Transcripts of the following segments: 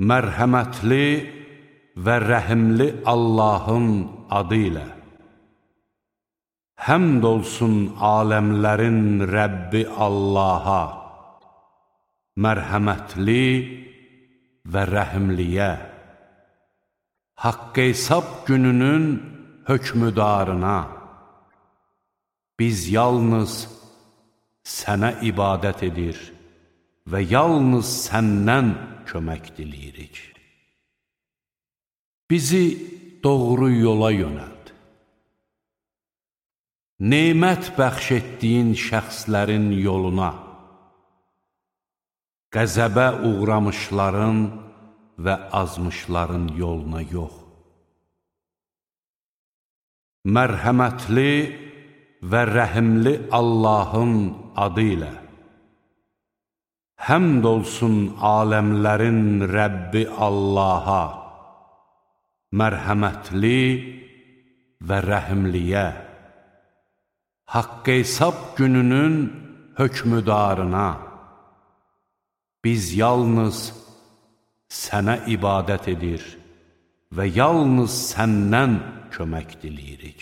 Mərhəmətli və rəhimli Allahın adı ilə. Həmd olsun aləmlərin Rəbbi Allaha, mərhəmətli və rəhimliyə, haqq hesab gününün hökmüdarına. Biz yalnız sənə ibadət edir və yalnız səndən kömək diləyirik. Bizi doğru yola yönəld. Nemət bəxş etdiyin şəxslərin yoluna, qəzəbə uğramışların və azmışların yoluna yox. Mərhəmətli və rəhimli Allahın adı ilə. Həmd olsun aləmlərin Rəbbi Allaha, mərhəmətli və rəhimliyə, haqq hesab gününün hökmüdarına. Biz yalnız sənə ibadət edir və yalnız səndən kömək diləyirik.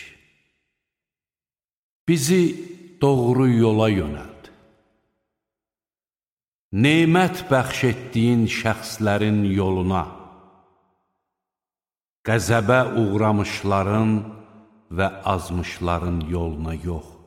Bizi doğru yola yönəld. Nemət bəxş etdiyin şəxslərin yoluna, qəzəbə uğramışların və azmışların yoluna yox.